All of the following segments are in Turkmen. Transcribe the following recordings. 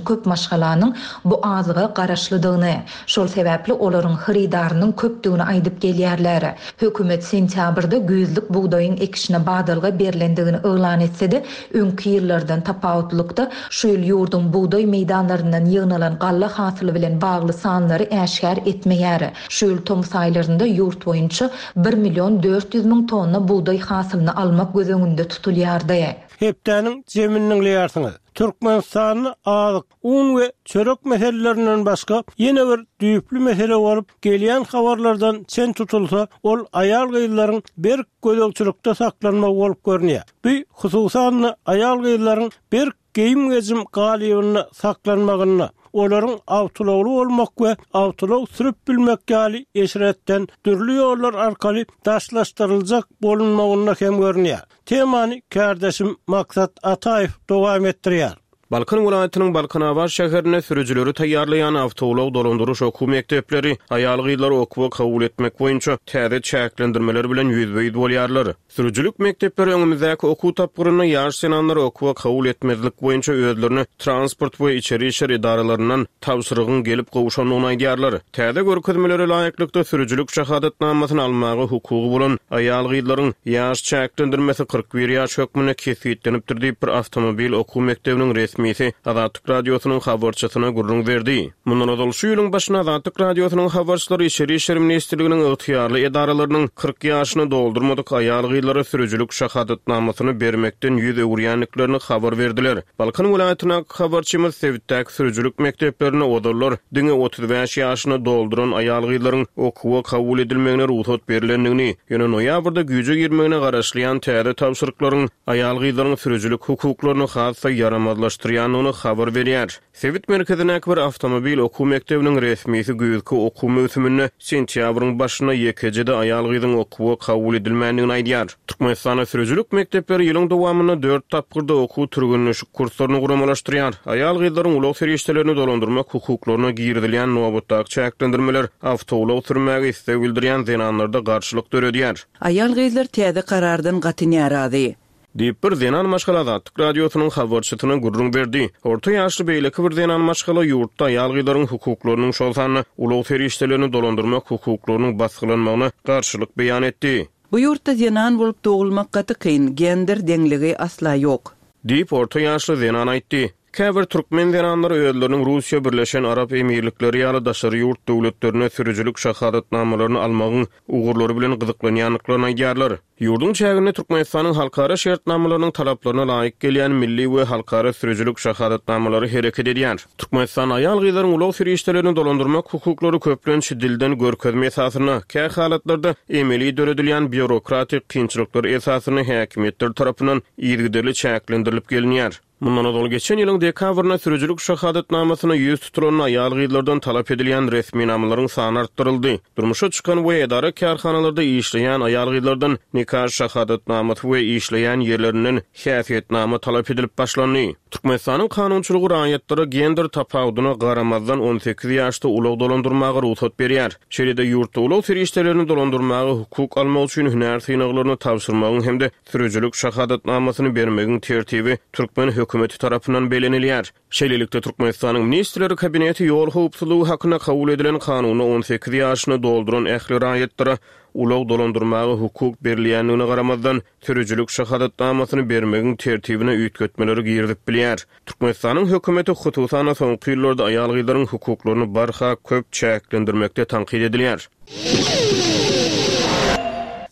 Köp maşgalanyň bu azyga garaşlydygyny, şol sebäpli olaryň hyrydarynyň köpdügini aýdyp gelýärler. Hökümet sentýabrda güýzlük bugdaýyň ekişine badalga berlendigini yglan etse-de, öňki ýyllardan tapawutlykda, şu ýyl ýurduň bugdaý meýdanlaryndan ýygnalan galla hasyly bilen bagly sanlary äşgär etmeýär. Şu ýyl tomus aýlarynda ýurt boýunça bir million 400 müň tonna bugdaý hasylyny almak göz öňünde tutulýardy. Hepdäniň jemini diňleýärsiňiz. Türkmenistanda azyk, un we çörek meselelerinden başga ýene bir düýpli mesele bolup, gelýän habarlardan çen tutulsa, ol aýal-gyzlaryň berk gözegçilikde saklanmagy bolup görünýär. Bu, hususan-da, aýal-gyzlaryň berk geýim-gejim galybynda saklanmagynda, olaryň awtoulagly bolmak we awtoulag sürüp bilmek ýaly eşretden dürli ýollar arkaly daşlaşdyryljak bolunmagynda hem görünýär. Temany kärdeşim Maksat Ataýew dowam etdirýär. Balkan welaýatynyň Balkanabat şäherinde sürüjileri taýýarlaýan awtoulag dolandyryş okuw mekdepleri aýal-gyzlary okuwa kabul etmek boýunça täze çäklendirmeler bilen ýüzbe-ýüz bolýarlar. Sürüjilik mekdepleri öňümizdäki okuw tapgyrynda ýaş zenanlary okuwa kabul etmezlik boýunça özlerine transport we içeri işler edaralaryndan tabşyrygyň gelip gowşandygyny aýdýarlar. Täze görkezmelere laýyklykda, sürüjilik şahadatnamasyny almaga hukugy bolan aýal-gyzlaryň ýaş çäklendirmesi 41 ýaş hökmünde kesgitlenipdir diýip, bir awtomobil okuw mekdebiniň resmisi Azatlyk Radiosynyň habarçysyna gürrüň berdi. Mundan ozal, şu ýylyň başynda Azatlyk Radiosynyň habarçylary Içeri işler ministrliginiň ygtyýarly edaralarynyň 40 ýaşyny doldurmadyk aýal-gyzlara sürüjilik şahadatnamasyny bermekden ýüz öwürýändiklerini habar berdiler. Balkan welaýatyndaky habarçymyz sebitdäki sürüjilik mekdeplerinde ozallar diňe 35 ýaşyny dolduran aýal-gyzlaryň okuwa kabul edilmegine rugsat berlendigini, ýöne noýabrda güýje girmegine garaşylýan täze tabşyryklaryň aýal-gyzlaryň sürüjilik hukuklaryny has-da ýaramazlaşdyrýandygyny habar berýär. Sebit merkezindäki bir awtomobil okuw mekdebiniň resmisi güýzki okuw möwsüminde sentýabryň başynda ýekeje-de aýal-gyzyň okuwa kabul edilmändigini aýdýar. Türkmenistanda sürüjilik mekdepleri ýylyň dowamynda dört tapgyrda okuw-türgenleşik kurslaryny guramalaşdyrýar. Aýal-gyzlaryň ulag serişdelerini dolandyrmak hukuklaryna girizilýän nobatdaky çäklendirmeler awtoulag sürmäge isleg bildirýän zenanlarda garşylyk döredýär. Aýal-gyzlar täze karardan gaty närazy. Diýip, bir zenan maşgala Azatlyk Radiosynyň habarçysyna gürrüň berdi. Orta ýaşly beýleki bir zenan maşgala ýurtda aýal-gyzlaryň hukuklarynyň, şol sanda ulag serişdelerini dolandyrmak hukuklarynyň basgylanmagyna garşylyk beýan etdi. Bu ýurtda zenan bolup dogulmak gaty kyn, gender deňligi asla ýok. Diýip, orta ýaşly zenan aýtdy. Käbir türkmen zenanlary özleriniň Russiýa, Birleşen Arap Emirlikleri ýaly daşary ýurt döwletlerinde sürüjilik şahadatnamalaryny almagyň ugurlary bilen gyzyklanýandyklaryny aýdýarlar. Ýurduň çäginde Türkmenistanyň halkara şertnamalarynyň talaplaryna laýyk gelýän milli we halkara sürüjilik şahadatnamalary hereket edýär. Türkmenistanda aýal-gyzlaryň ulag serişdelerini dolandyrmak hukuklary köplenç dilden görkezme esasynda, kä halatlarda emeli döredilýän býurokratik kynçylyklar esasynda häkimiýetler tarapyndan yzygiderli çäklendirilip gelinýär. Mundan ozal geçen ýylyň dekabrynda sürüjilik şahadatnamasyna ýüz tutulan aýal-gyzlardan talap edilýän resminamalaryň sany artdyryldy. Durmuşa çykan we edara-kärhanalarda işleýän aýal-gyzlardan nika şahadatnamasy we işleýän ýerlerinden häsiýetnama talap edilip başlandy. Türkmenistanyň kanunçylygy raýatlara gender tapawudyna garamazdan 18 ýaşda ulag dolandyrmaga rugsat berýär. Şeýle-de ýurtda ulag serişdelerini dolandyrmaga hukuk almak üçin hünär synaglaryny tabşyrmagyň hem-de Sürüjilik şahadatnamasyny bermegiň tertibi türkmen hökümeti tarapyndan bellenilýär. Şeýlelikde, Türkmenistanyň Ministrler Kabineti ýol howpsuzlygy hakynda kabul edilen Kanunda 18 ýaşyny dolduran ähli raýatlara ulag dolandyrmaga hukuk berilýändigine garamazdan, sürüjilik şahadatnamasyny bermegiň tertibine üýtgetmeleri girizip bilýär. Türkmenistanyň hökümeti, hususan-da, soňky ýyllarda aýal-gyzlaryň hukuklaryny barha köp çäklendirmekde tankyt edilýär.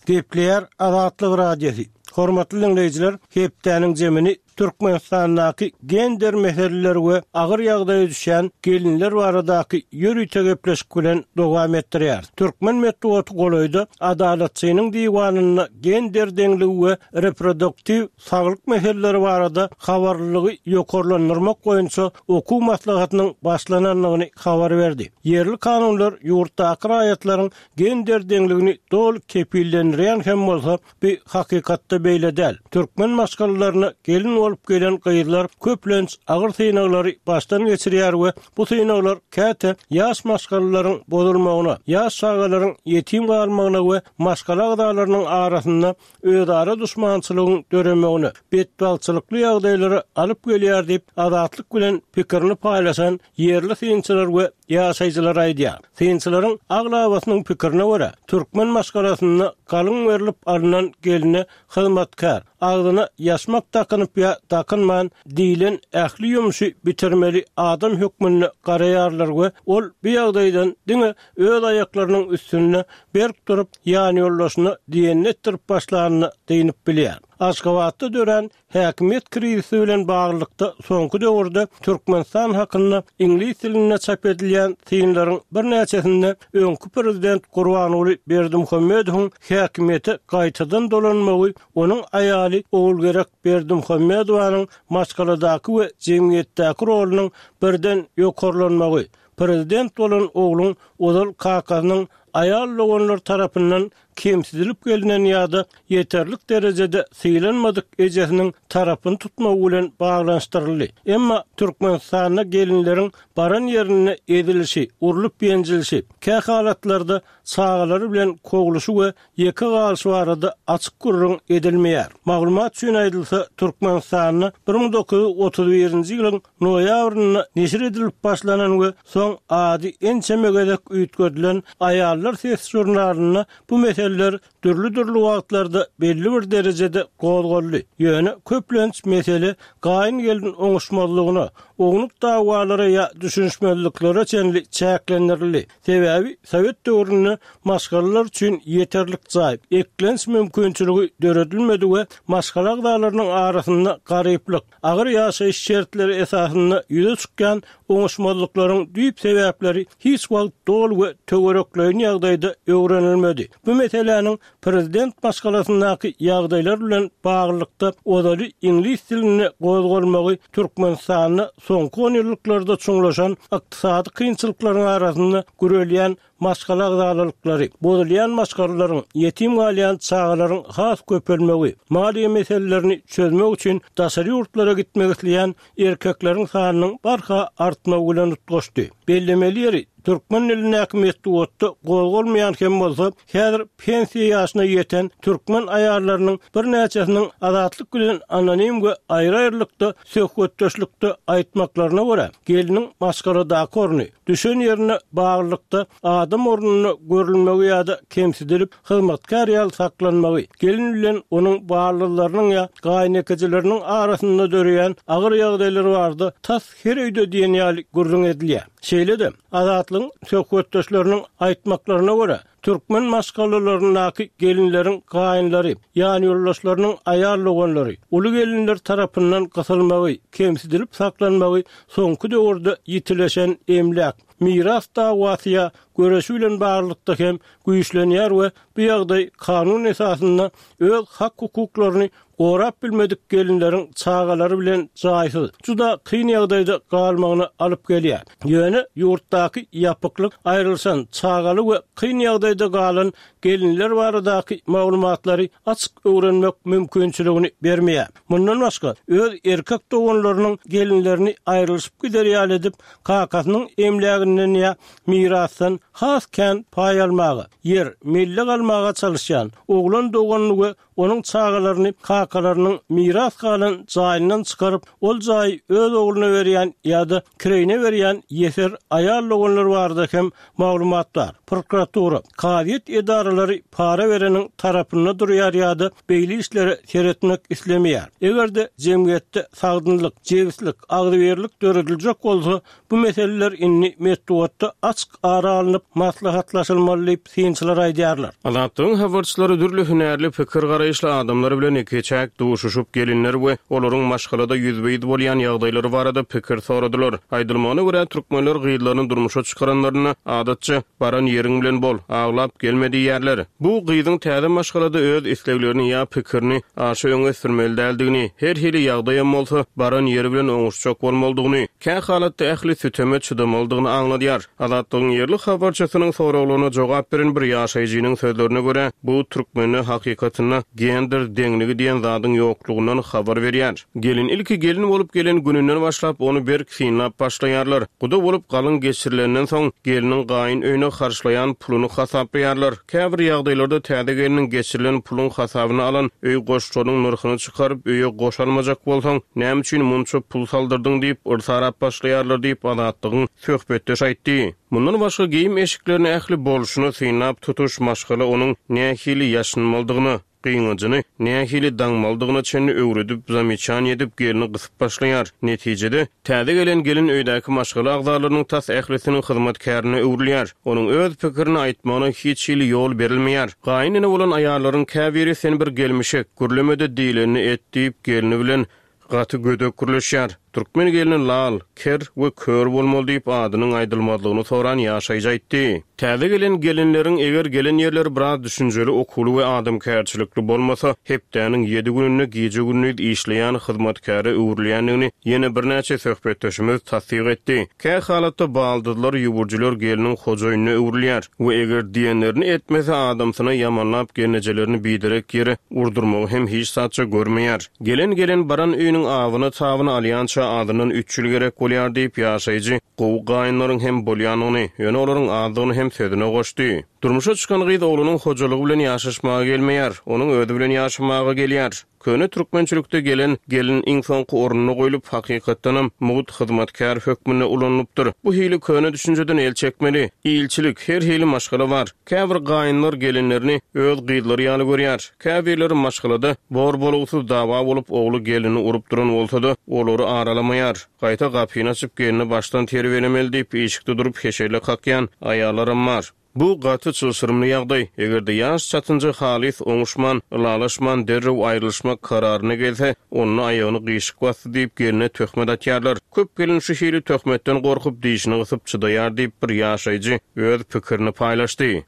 Gepleýär Azatlyk Radiosy. Hormatly diňleýjiler, hepdäniň jemini Türkmenistandaky gender meseleleri we agyr ýagdaýa düşýän gelinler baradaky ýörite gepleşik bilen dowam etdirýäris. Türkmen metbugaty golaýda Adalatçynyň diwanynda gender deňligi we reproduktiw saglyk meseleleri barada habarlylygy ýokarlandyrmak boýunça okuw maslahatynyň başlanandygyny habar berdi. Ýerli kanunlar ýurtdaky raýatlaryň gender deňligini doly kepillendirýän hem bolsa, bu hakykatda beýle däl. Türkmen maşgalalaryna gelin. bolup gelen gyzlar köplenç agyr synaglary başdan geçirýär we bu synaglar käte ýaş maşgalalaryň bozulmagyna, ýaş çagalaryň ýetim galmagyna we maşgala agzalarynyň arasynda özara duşmançylygyň döremegine, betbagtçylykly ýagdaýlara alyp gelýär diýip, Azatlyk bilen pikirini paýlaşan ýerli synçylar we ýaşaýjylar aýdýar. Synçylaryň aglabasynyň pikirine görä, türkmen maşgalasynda galyň berlip alnan gelne hyzmatkär, agzyna ýaşmak dakynyp ýa dakynman diýlen ähli ýumşy bitirmeli adam hökmünde garaýarlar we ol bu ýagdaýdan diňe öz aýaklarynyň üstünde berk durup, ýanýoldaşyna diýenini etdirip başlanyna dynyp bilýär. Aşgabatda dörän häkimiýet krizisi bilen baglylykda soňky döwürde Türkmenistan hakynda iňlis dilinde çap edilýän synlaryň birnäçesinde öňki prezident Gurbanguly Berdimuhamedowyň häkimiýete gaýtadan dolanmagy onuň aýaly Ogulgerek Berdimuhamedowanyň maşgaladaky we jemgyýetdäki rolunyň birden ýokarlanmagy, Prezident bolan ogluň ozal kakasynyň aýal doganlary tarapyndan kemsidilip gelnen ýa-da ýeterlik derejede sylanmadyk ejesiniň tarapyny tutmagy bilen baglanyşdyryldy. Emma Türkmenistanda gelinleriň baran ýerinde ezilişi, urlup-ýenjilişi, kähalatlarda çagalary bilen kowluşy we ýeke galyşy barada açyk gürrüň edilmeýär. Maglumat üçin aýdylsa, Türkmenistanda 1931-nji ýylyň noýabrynda neşir edilip başlanan we soň ady ençeme gezek üýtgedilen Aýallar sesi žurnalynda bu meseleler dürli-dürli wagtlarda belli bir derejede gozgaldy. Ýöne köplenç mesele gaýyn-gelin oňuşmazlygyna, ownuk dawalara ýa düşünişmezliklere çenli çäklendirildi. Sebäbi sowet döwründe maşgalalar üçin ýeterlik jaý, eklenç mümkinçiligi döredilmedi we maşgala agzalarynyň arasynda garyplyk, agyr ýaşaýyş şertleri esasynda ýüze çykýan oňuşmazlyklaryň düýp sebäpleri hiç wagt doly we töwerekleýin ýagdaýda öwrenilmedi. Bu meseläniň prezident maşgalasyndaky ýagdaýlar bilen baglylykda ozaly iňlis dilinde gozgalmagy Türkmenistanda soňky onýyllyklarda çuňlaşan ykdysady kynçylyklaryň arasynda gürelýän maşgala agzalalyklary, bozulýan maşgalalaryň, ýetim galýan çagalaryň has köpelmegi, maliýe meselelerini çözmek üçin daşary ýurtlara gitmek isleýän erkekleriň sanynyň barha artmagy bilen utgaşdy. Bellemeli ýeri, türkmen dilindäki metbugatda gozgalmaýan hem bolsa, häzir pensiýa ýaşyna ýeten türkmen aýallarynyň birnäçesiniň Azatlyk bilen anonim we aýry-aýrylykda söhbetdeşlikde aýtmaklaryna görä, gelniň maşgaladaky orny, düşen ýerine baglylykda adam ornunda görülmegi ýa-da kemsidilip, hyzmatkär ýaly saklanmagy, gelin bilen onuň ballylarynyň ýa gaýynekejileriniň arasynda döreýän agyr ýagdaýlar barada tas her öýde diýen ýaly gürrüň edilýär. Şeýle-de, Azatlygyň söhbetdeşleriniň aýtmaklaryna görä, türkmen maşgalalaryndaky gelinleriň gaýynlary, ýanýoldaşlarynyň aýal doganlary, uly gelinler tarapyndan gysylmagy, kemsidilip saklanmagy soňky döwürde ýitileşen emläk, miras dawasy ýa göreşi bilen baglylykda hem güýçlenýär we bu ýagdaý kanun esasynda öz hak-hukuklaryny gorap bilmedik gelinleriň çagalary bilen jaýsyz, juda kyn ýagdaýda galmagyna alyp gelýär. Ýöne ýurtdaky ýapyklyk aýrylyşan, çagaly we kyn ýagdaýda galan gelinler baradaky maglumatlary açyk öwrenmek mümkinçiligini bermeýär. Mundan başga, öz erkek doganlarynyň gelinlerini aýrylyşyp gider ýaly edip, kakasynyň emläginden ýa mirasdan has kän paý almaga, ýer, mellek almaga çalyşýan oglan doganyny we onuň çagalaryny kakalarynyň miras galan jaýyndan çykaryp, ol jaýy öz ogluna berýän ýa-da kireýine berýän ýeser aýal doganlar barada hem maglumat bar. Prokuratura, kazyýet edaralary para bereniň tarapynda durýar ýa-da beýle işlere seretmek islemeýär. Eger-de jemgyýetde sagdynlyk, jebislik, agzybirlik dörediljek bolsa, Bu meseleler indi metbugatda açyk ara alnyp maslahatlaşylmaly diýip, synçylar aýdýarlar. Azatlygyň habarçylary dürli hünärli, pikir-garaýyşly adamlar bilen ikiçäk duşuşyp, gelinler we olaryň maşgalada ýüzbe-ýüz bolýan ýagdaýlary barada pikir soradylar. Aýdylmagyna görä, türkmenler gyzlaryny durmuşa çykaranlarynda, adatça, Baran ýeriň bilen bol, aglap gelme diýýärler. Bu, gyzyň täze maşgalada öz isleglerini ýa pikirini aşa öňe sürmeli däldigini, her hili ýagdaýam bolsa, baran ýeri bilen oňuşjak bolmalydygyny, kä halatda ähli süteme çydamalydygyny aňladýar. Azatlygyň ýerli habarçysynyň soraglaryna jogap beren bir ýaşaýjynyň sözlerine görä, bu türkmende hakykatynda. Gender deňligi diýen zadyň ýoklugyndan habar berýär. Gelin ilki gelin bolup gelen gününden başlap ony berk synlap başlaýarlar. Guda bolup galyň geçirilenden soň, gelniň gaýyn öýüne harçlaýan puluny hasaplaýarlar. Käbir ýagdaýlarda täze gelniň geçirilen puluň hasabyna alan öý goşlarynyň nyrhyny çykaryp, öýe goş almajak bolsaň, näme üçin munça pul saldyrdyň diýip, yrsarap başlaýarlar diýip, Azatlygyň söhbetdeşi aýtdy. Mundan başga geýim-eşiklerini ähli bolşuny synlap tutuş maşgala onuň nähili ýaşynmalydygyna, gyňajyny nähili daňmalydygyna çenli öwredip, zameçaniýe edip gelni gysyp başlaýar. Netijede, täze gelen gelin öýdäki maşgala agzalarynyň tas ählisiniň hyzmatkärine öwrülýär. Onuň öz pikirini aýtmagyna hiç hili ýol berilmeýär. Gaýyn ene bolan aýallaryň käbiri sen bir gelmişek, gürleme-de diýlenini et diýip gelni bilen Gaty gödek gürleşýär. Türkmen gelni lal, ker we kör bolmaly diýip adynyň aýdylmazlygyny soran ýaşaýjy aýtdy. Täze gelen gelinleriň eger gelen ýerleri biraz düşünjeli okuwly we adamkärçilikli bolmasa, hepdäniň ýedi gününde gije-gündiz işleýän hyzmatkäre öwrülýändigini ýene birnäçe söhbetdeşimiz tassyk etdi. Kä halatda baldyzlar, ýüwürjiler gelniň hojaýynyna öwrülýär we eger diýenlerini etmese adamsyna ýamanlap gelnejelerini biderek ýere urdurmagy hem hiç zatça görmeýär. Gelen gelen baran öýüniň abyny-tabyny alýança azyndan üç ýyl gerek bolýar diýip, ýaşaýjy gowy gaýynlaryň hem bolýandygyny, ýöne olaryň azdygyny hem sözüne goşdy. Durmuşa çykan gyz oglunyň hojalygy bilen ýaşaşmaga gelmeýär, onuň özi bilen ýaşamaga gelýär. Köne türkmençilikde gelen gelin iň soňky orunda goýlup, hakykatdanam mugt hyzmatkär hökmünde ulanylypdyr. Bu hili köne düşünjeden el çekmeli. Ilçilik, her hili maşgala bar. Käbir gaýynlar gelinlerini öz gyzlary ýaly görýär. Käbirleri maşgalada bor-bolugsyz dawa bolup, ogly gelnini urup duran bolsa-da, olary aralamaýar. Gaýta gapyny açyp, gelni başdan terbiýelemeli diýip, işikde durup heşelle kakýan aýallaram bar. Bu gaty çylşyrymly ýagdaý. Eger-de ýaş çatynja halys oňuşman, ylalaşman derrew aýrylyşmak kararyna gelse, onda aýagyny gyşyk basdy diýip gelne töhmet atýarlar. Köp gelin şu hili töhmetden gorkup, dişini gysyp çydaýar diýip, bir ýaşaýjy öz pikirini paýlaşdy.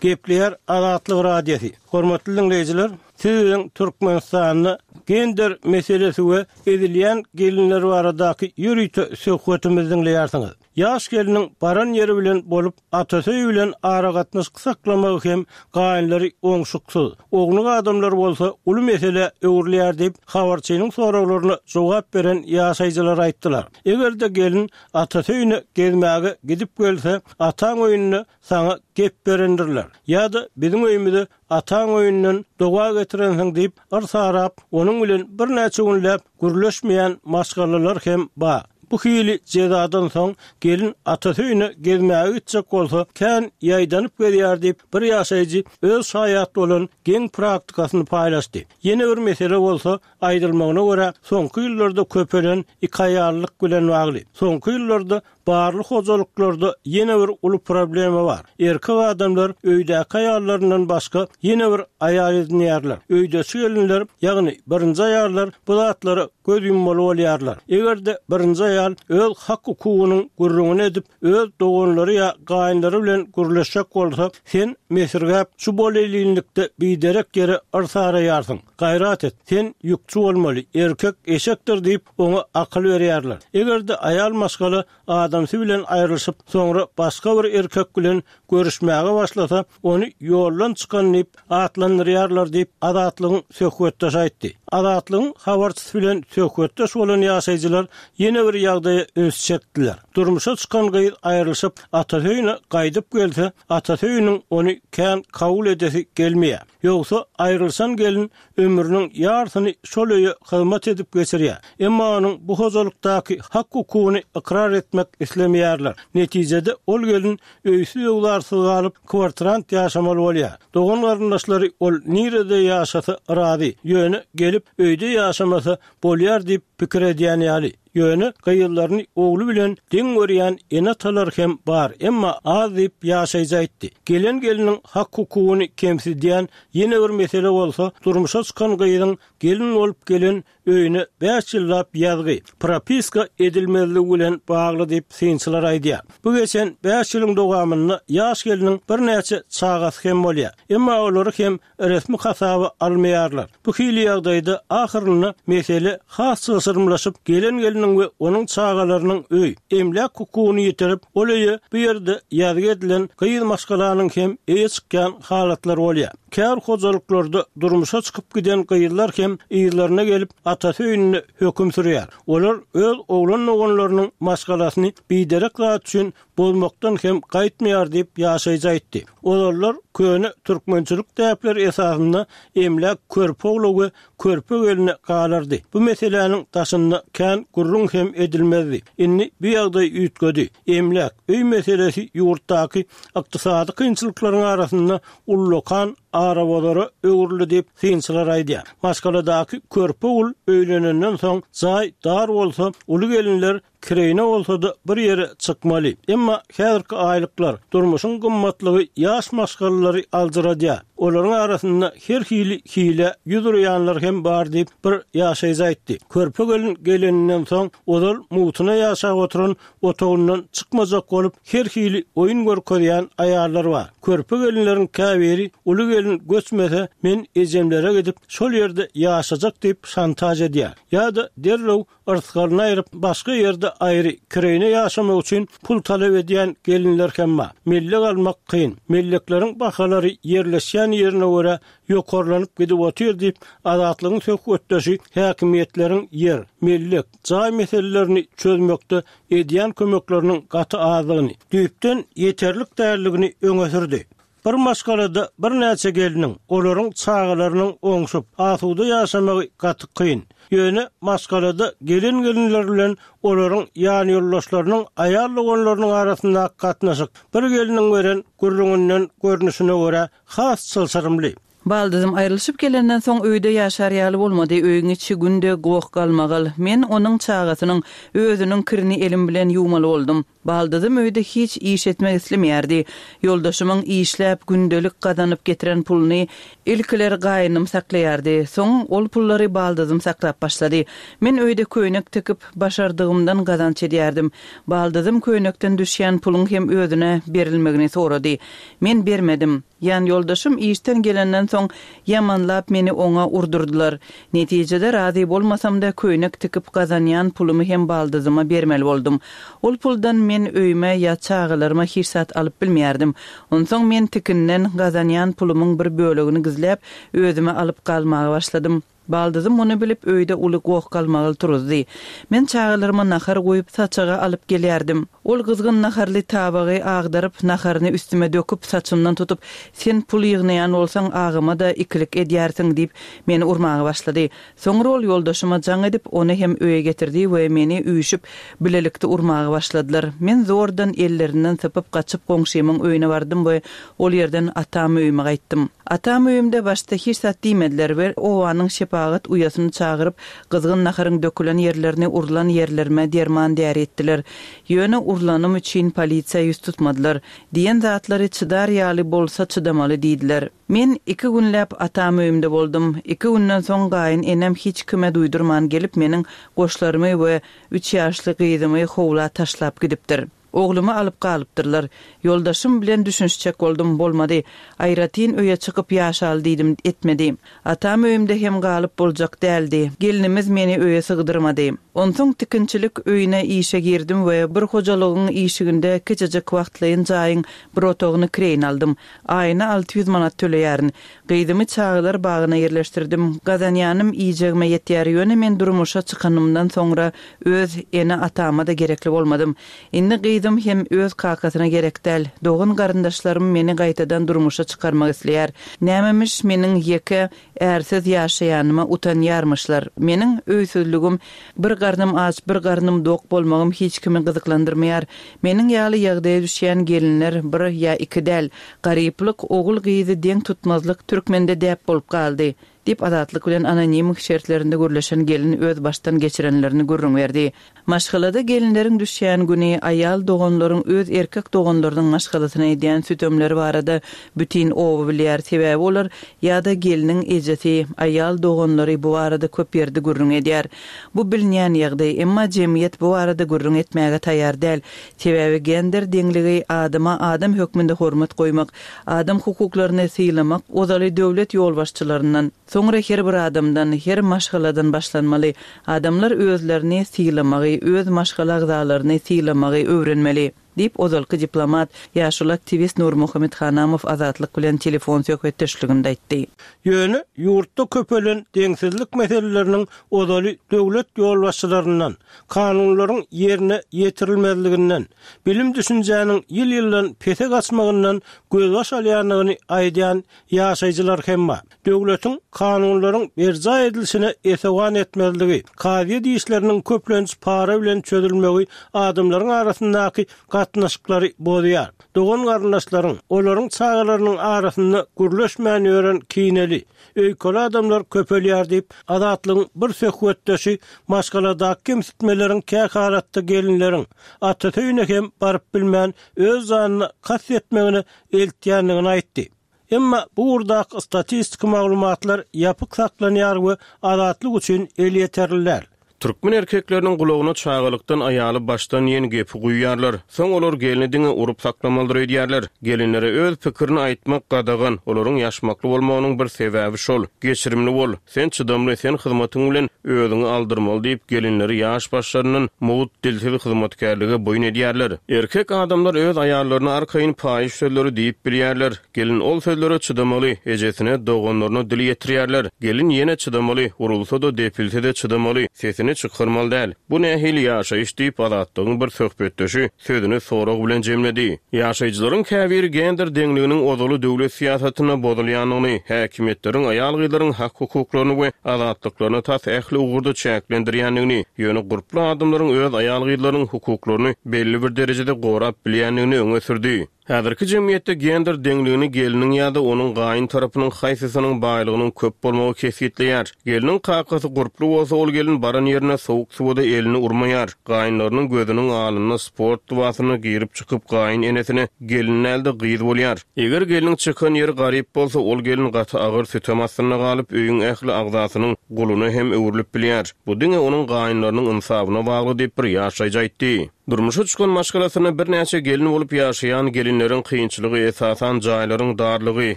Gepleýär Azatlyk Radiosy. Hormatly diňleýjiler, siz biziň Türkmenistanda gender meselesi we ezilýän gelinler baradaky ýörite söhbetimizi diňleýärsiňiz. Ýaş gelniň baran ýeri bilen bolup, atasy öýi bilen aragatnaşyk saklamagy hem gaýynlary oňşuksyz, ownuk adamlar bolsa uly meselä öwrülýär diýip, habarçynyň soraglaryna jogap beren ýaşaýjylar aýtdylar. Eger-de gelin atasy öýüne gezmäge gidip gelse, ataň öýünde saňa gep berendirler. Ýa-da biziň öýümize ataň öýünden doga getirensiň diýip, yrsarap, onuň bilen birnäçe günläp gürleşmeýän maşgalalar hem bar. Bu hili jezadan soň gelin atasy öýüne gezmäge gitjek bolsa, kän ýaýdanyp gezýär diýip, bir ýaşaýjy öz şaýat bolan geň praktikasyny paýlaşdy. Ýene bir mesele bolsa, aýdylmagyna görä, soňky ýyllarda köpelen ikaýallyk bilen bagly. Soňky ýyllarda barly hojalyklarda ýene bir uly problema bar. Erkek adamlar öýdäki aýallaryndan başga ýene bir aýal edinýärler. Öýdeçi gelinler, ýagny birinji aýallar bu zatlara göz ýummaly bolýarlar. Eger-de birinji aýal öz hak-hukugynyň gürrüňini edip, öz doganlary ýa gaýynlary bilen gürleşjek bolsa, sen mesirgäp, şu bolelinlikde biderek ýere yrsaraýarsyň. Gaýrat et, sen ýükçi bolmaly, erkek eşekdir diýip, oňa akyl berýärler. Eger-de aýal maşgala adamsy bilen aýrylyşyp, soňra başga bir erkek bilen görüşmäge başlasa, ony ýoldan çykan diýip atlandyrýarlar diýip, Azatlygyň söhbetdeşi aýtdy. Azatlygyň habarçysy bilen söhbetdeş bolan ýaşaýjylar ýene bir ýagdaýa üns çekdiler. Durmuşa çykan gyz aýrylyşyp, atasy öýüne gaýdyp gelse, atasy öýüniň ony kän kabul edesi gelmeýär. Ýogsa, aýrylyşan gelin ömrüniň ýarsyny şol öýe hyzmat edip geçirýär. Emma onuň bu hojalykdaky hak-hukugyny ykrar etmek islemeýärler. Netijede, ol gelin öýsüz-öwzarsyz galyp, kwartirant ýaşamaly bolýar. Dogan-garyndaşlary ol nirede ýaşasa razy, ýöne gelip öýde ýaşamasa bolýar diýip pikir edýän ýaly. Ýöne gyzlaryny ogly bilen deň görýän ene-atalar hem bar, emma az diýip, ýaşaýjy aýtdy. Gelen gelniň hak-hukugyny kemsidýän ýene bir mesele bolsa, durmuşa çykan gyzyň gelin bolup gelen öýüne bäş ýyllap ýazgy, propiska edilmezligi bilen bagly diýip, synçylar aýdýar. Bu geçen bäş ýylyň dowamynda ýaş gelniň birnäçe çagasy hem bolýar. Emma olary hem resmi hasaba almaýarlar. Bu hili ýagdaýda ahyrynda mesele has çylşyrymlaşyp, gelen gelin. gelniň we onuň çagalarynyň öý, emläk hukugyny ýitirip, ol öýe bu ýerde ýazgy edilen gyz maşgalanyň hem eýe çykýan halatlary bolýar. Kär hojalyklarda durmuşa çykyp giden gyzlar hem yzlaryna gelip, atasy öýünde höküm sürýär. Olar öz oglan doganlarynyň maşgalasyny biderek zat üçin bozmakdan hem gaýtmaýar diýip, ýaşaýjy aýtdy. Ozallar köne türkmençilik däpleri esasynda emläk körpe ogla we körpe gelne galardy. Bu meseläniň daşynda kän gürrüň hem edilmezdi. Indi bu ýagdaý üýtgedi. Emläk, öý meselesi ýurtdaky ykdysady kynçylyklaryň arasynda ullakan arabozara öwrüldi diýip, synçylar aýdýar. Maşgaladaky körpe ogul öýlenenden soň jaý dar bolsa, uly gelinler Kireýine bolsa-da bir ýere çykmaly. Emma häzirki aýlyklar, durmuşyň gymmatlygy ýaş maşgalalary aljyradýar. Olaryň arasynda her hili hilä ýüz urýanlar hem bar diýip, bir ýaşaýjy aýtdy. Körpe gelin geleninden soň, ozal mugtuna ýaşap oturan otagyndan çykmajak bolup, her hili oýun görkezýän aýallar bar. Körpe gelinleriň käbiri uly gelin göçmese, men ejemlere gidip, şol ýerde ýaşajak diýip şantaž edýär. Ýa-da derrew Yrsgalyny aýryp, başga ýerde aýry, kireýine ýaşamak üçin pul talap edýän gelinler hem bar. Mellek almak kyn. Mellekleriň bahalary ýerleşýän ýerine görä ýokarlanyp gidip otyr diýip, Azatlygyň söhbetdeşi häkimiýetleriň ýer, mellek, jaý meselelerini çözmekde edýän kömekleriniň gaty azdygyny, düýpden ýeterlik däldigini öňe sürdi. Bir maşgalada birnäçe gelniň, olaryň çagalarynyň oňşup, asuda ýaşamagy gaty kyn. Ýöne maşgalada gelen-gelinler bilen olaryň ýanýoldaşlarynyň aýal doganlarynyň arasyndaky gatnaşyk bir gelniň beren gürrüňinden görnüşine görä has çylşyrymly. Baldyzym aýrylyşyp gelenden soň öýde ýaşar ýaly bolmady, öýüň içi günde goh-galmagal. Men onuň çagasynyň, özüniň kirini elim bilen ýuwmaly boldum. Baldyzym öýde hiç iş etmek islemeýärdi. Ýoldaşymyň işläp, gündelik gazanyp getiren puluny ilkiler gaýynym saklaýardy. Soň ol pullary baldyzym saklap başlady. Men öýde köýnek tikip, başardygymdan gazanç edýärdim. Baldyzym köýnekden düşýän puluň hem özüne berilmegini sorady. Men bermedim. Ýanýoldaşym işden gelenden soň ýamanlap meni oňa urdurdylar. Netijede razy bolmasam-da köýnek tikip gazanýan pulumy hem baldyzyma bermeli boldum. Ol puldan men öýüme ýa çagalaryma hiç zat alyp bilmeýärdim. Onsoň men tikinden gazanýan pulumyň bir bölegini gizläp özüme alyp galmaga başladym. Baldyzym muny bilip, öýde uly goh-galmagal turuzdy. Men çagalaryma nahar guýup, saçaga alyp gelýärdim. Ol gyzgyn naharly tabagy agdaryp, naharyny üstüme döküp, saçymdan tutup, Sen pul ýygnaýan bolsaň, agama-da ikilik edýärsiň diýip, meni urmaga başlady. Soňra ol ýoldaşyma jaň edip, ony hem öýe getirdi we meni üýşüp, bilelikde urmaga başladylar. Men zordan ellerinden sypyp, gaçyp goňşymyň öýüne bardym we ol ýerden atam öýüme gaýtdym. Atam öýümde başda hiç zat diýmediler we obanyň şepagat uýasyny çagyryp, gyzgyn naharyň dökülen ýerlerini urlan ýerlerime derman-däri etdiler. Ýöne urlanym üçin polisiýa ýüz tutmadylar. Diýen zatlary çydar ýaly bolsa çydamaly diýdiler. Men iki günläp atam öýümde boldum. Iki günden soň gaýyn enem hiç kime duýdurman gelip meniň goşlarymy we üç ýaşly gyzymy howla taşlap gidipdir. Oglumy alyp galypdyrlar. Ýoldaşym bilen düşünişjek boldum, bolmady. Aýratyn öýe çykyp ýaşaly diýdim, etmedi. Atam öýümde hem galyp boljak däldi. Gelnimiz meni öýe sygdyrmady. Onsoň tikinçilik öýüne işe girdim we bir hojalygyň işiginde kiçijik wagtlaýyn jaýyň bir otagyny kireýine aldym. Aýyna 600 manat töleýärin. Gyzymy çagalar bagyna ýerleşdirdim. Gazanýanym iýjegime ýetýär, ýöne men durmuşa çykanymdan soňra öz ene-atama-da gerekli bolmadym. Indi gyzym hem öz kakasyna gerek däl. Dogan-garyndaşlarym meni gaýtadan durmuşa çykarmak isleýär. Nämemiş meniň ýeke, ärsiz ýaşaýanyma utanýarmyşlar. Meniň öýsüzligim, bir garnym aç, bir garnym dok bolmagym hiç kimi gyzyklandyrmaýar. Meniň ýaly ýagdaýa düşýän gelinler bir ýa iki däl. Garyplyk, ogul-gyzy deň tutmazlyk türkmende däp bolup galdy, diýip, Azatlyk bilen anonim şertlerinde gürleşen gelin öz başdan geçirenlerini gürrüň berdi. Maşgalada gelinleriň düşýän güni, aýal doganlaryň öz erkek doganlarynyň maşgalasyna edýän sütemleri barada bütin oba bilýär, sebäbi olar ýa-da gelniň ejesi, aýal doganlary bu barada köp ýerde gürrüň edýär. Bu bilinýän ýagdaý, emma jemgyýet bu barada gürrüň etmäge taýýar däl. Sebäbi gender deňligi adama adam hökmünde hormat goýmak, adam hukuklaryny sylamak ozaly döwlet ýolbaşçylaryndan, Soňra her bir adamdan, her maşgaladan başlanmaly. Adamlar özlerini sylamagy, öz maşgala agzalaryny sylamagy öwrenmeli. Diýip, ozalky diplomat, ýaşuly aktiwist Nurmuhammet Hanamow Azatlyk bilen telefon söhbetdeşliginde aýtdy. Ýöne ýurtda köpelen deňsizlik meseleleriniň ozaly döwlet ýolbaşçylaryndan, kanunlaryň ýerine ýetirilmezliginden, bilim-düşünjäniň ýyl-ýyldan pese gaçmagyndan gözbaş alýandygyny aýdýan ýaşaýjylar hem bar. Döwletiň kanunlaryň berjaý edilişine esewan etmezligi, kazyýet işleriniň köplenç para bilen çözülmegi adamlaryň arasyndaky gatnaşyklary bozýar. Dogan-garyndaşlaryň, olaryň çagalarynyň arasynda gürleşmän ýören kineli, öýkeli adamlar köpelýär diýip, Azatlygyň bir söhbetdeşi maşgaladaky kemsitmeleriň kähalatda gelinleriň atasy öýüne hem baryp bilmän öz janyna kast etmegine eltýändigini aýtdy. Emma bu ugurdaky statistiki maglumatlar ýapyk saklanýar we Azatlyk üçin elýeterli däl. Türkmen erkekleriniň gulagyna çagalykdan aýaly başdan diýen gepi guýýarlar. Soň olar gelni diňe urup saklamalydyr öýdýärler. Gelinlere öz pikirini aýtmak gadagan, olaryň ýaşmakly bolmagynyň bir sebäbi şol. Geçirimli bol, sen çydamly, sen hyzmatyň bilen özüňi aldyrmaly diýip gelinleri ýaş başlaryndan mugt dilsiz hyzmatkärlige boýun edýärler. Erkek adamlar öz aýallaryna arkaýyn paýyş sözleri diýip bilýärler. Gelin ol sözlere çydamaly, ejesine, doganlaryna dil ýetirýärler. Gelin ýene çydamaly, urulsa-da, depilse-de çydamaly, sesini çykarmaly däl. Bu nähili ýaşaýyş diýip, Azatlygyň bir söhbetdeşi sözüni sorag bilen jemledi. Ýaşaýjylaryň käbiri gender deňliginiň ozaly döwlet syýasatynda bozulýandygyny, häkimiýetleriň aýal-gyzlaryň hak-hukuklaryny we azatlyklaryny tas ähli ugurda çäklendirýändigini, ýöne gurply adamlaryň öz aýal-gyzlarynyň hukuklaryny belli bir derejede gorap bilýändigini öňe sürdi. Häzirki jemgyýetde gender deňligini gelniň ýa-da onuň gaýyn tarapynyň haýsysynyň baýlygynyň köp bolmagy kesgitleýär. Gelniň kakasy gurply bolsa, ol gelin baran ýerinde sowuk suwa-da elini urmaýar. Gaýynlarynyň gözüniň alnynda sport lybasynda girip-çykyp gaýyn enesine gelin däl-de gyz bolýar. Eger gelniň çykan ýeri garyp bolsa, ol gelin gaty agyr sütem astynda galyp, öýüň ähli agzasynyň guluna hem öwrülip bilýär. Bu diňe onuň gaýynlarynyň ynsabyna bagly diýip, bir ýaşaýjy aýtdy. Durmuşa çykan maşgalasynda birnäçe gelin bolup ýaşaýan gelinleriň kynçylygy esasan jaýlaryň darlygy,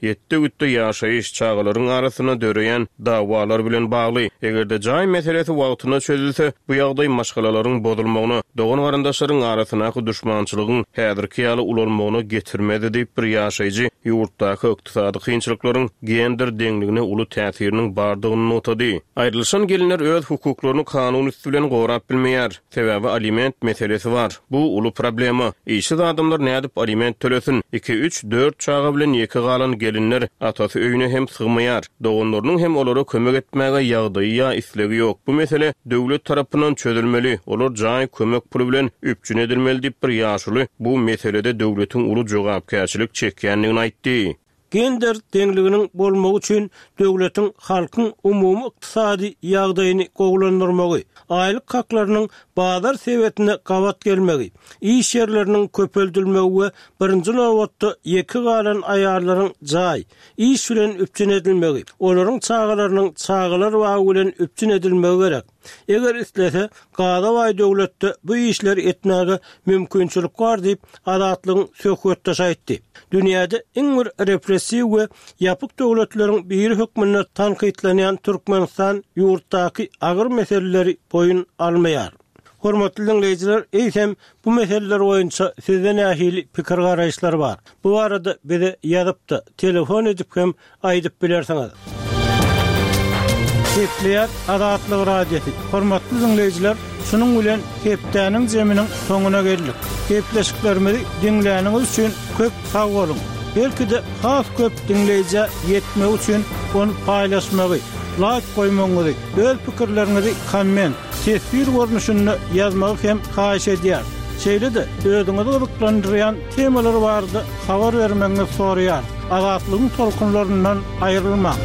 ýetde-gütde ýaşaýyş, çagalaryň arasynda döreýän dawalar bilen bagly. Eger-de jaý meselesi wagtynda çözülse, bu ýagdaý maşgalalaryň bozulmagyna, dogan-garyndaşlaryň arasyndaky duşmançylygyň häzirki ýaly ulalmagyna getirmezdi diýip, bir ýaşaýjy ýurtdaky ykdysady kynçylyklaryň gender deňligine uly täsiriniň bardygyny nygtady. Aýrylyşan gelinler öz hukuklaryny kanun üsti bilen gorap bilmeýär. Sebäbi aliment meselesi bar. Bu uly problema. Işsiz adamlar nädip aliment tölesin? Iki, üç, dört çaga bilen ýeke galan gelinler atasy öýüne hem sygmaýar. Doganlarynyň hem olara kömek etmäge ýagdaýy ýa islegi ýok. Bu mesele döwlet tarapyndan çözülmeli. Olar jaý kömek puly bilen üpjün edilmeli diýip bir ýaşuly bu meselede döwletiň uly jogapkärçilik çekýändigini aýtdy. Gender deňliginiň bolmagy üçin döwletiň halkyň umumy ykdysady ýagdaýyny gowulandyrmagy, aýlyk haklarynyň bazar sebetine gabat gelmegi, iş ýerleriniň köpeldilmegi we birinji nobatda ýeke galan aýallaryň jaý, iş bilen üpjün edilmegi, olaryň çagalarynyň çagalar bagy bilen üpjün edilmegi gerek. Eger islese, gaza baý döwletde bu işleri etmäge mümkinçilik bar diýip, Azatlygyň söhbetdeşi aýtdy. Dünýäde iň bir repressiw we ýapyk döwletleriň biri hökmünde tankytlanýan Türkmenistan ýurtdaky agyr meseleleri boýun almaýar. Hormatly diňleýjiler, eýsem, bu meseleler boýunça sizde nähili pikir-garaýyşlar bar? Bu barada bize ýazyp-da, telefon edip hem aýdyp bilersiňiz. Gepleýär Azatlyk Radiosy. Hormatly diňleýjiler, şunuň bilen hepdäniň zeminiň soňuna geldik. Gepleşiklerimizi diňläniňiz üçin köp sag boluň. Belki-de has köp diňleýjä ýetmegi üçin ony paýlaşmagy, laýk goýmagyňyzy, öz pikirleriňizi komment, teswir görnüşinde ýazmagy hem haýyş edýäris. Şeýle-de özüňizi gyzyklandyrýan temalar barada habar bermegiňizi soraýarys. Azatlygyň tolkunlaryndan aýrylmaň!